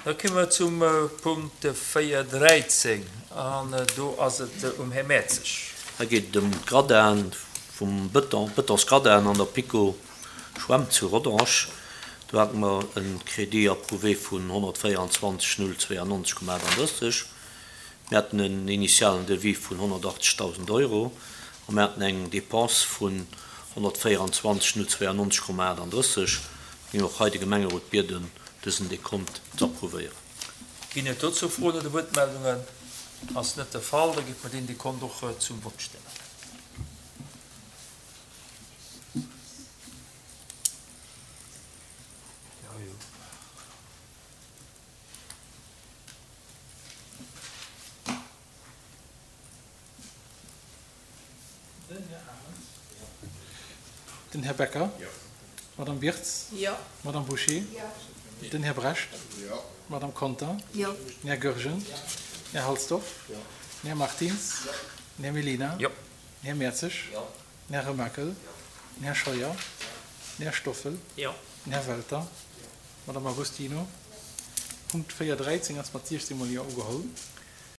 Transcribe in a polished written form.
Da komme mer zum Punkt 4.13 an do ass et um Här Mertzig. Hei geet et ëm d'Gradin vum Bëton, Bëtonsgradin an der PiKo Schwämm zu Rodange. Do hate mer e Crédit approuvé vun 124.092,38. Mir haten en initialen Devis vun 180.000 Euro a mir haten eng Dépense vun 124.092,38. Mir géingen och hei de Gemengerot bieden, dësen Dekont ze approuvéieren. Ginn et dozou Froen oder Wuertmeldungen? Ass net de Fall, da géife mer deen Dekont och zum Vott stellen. Den Här Arendt. Den Här Becker. D'Madame Birtz. D'Madame Bouché. Den Här Brecht. D'Madame Conter. Den Här Goergen. Den Här Halsdorf. Den Här Martins. Den Här Mellina. Den Här Mertzig. Den Här Remakel. Den Här Scheuer. Den Här Stoffel. Den Här Welter. D'Madame Agostino. Punkt 4, 13 ass mat 16 mol Jo ugeholl.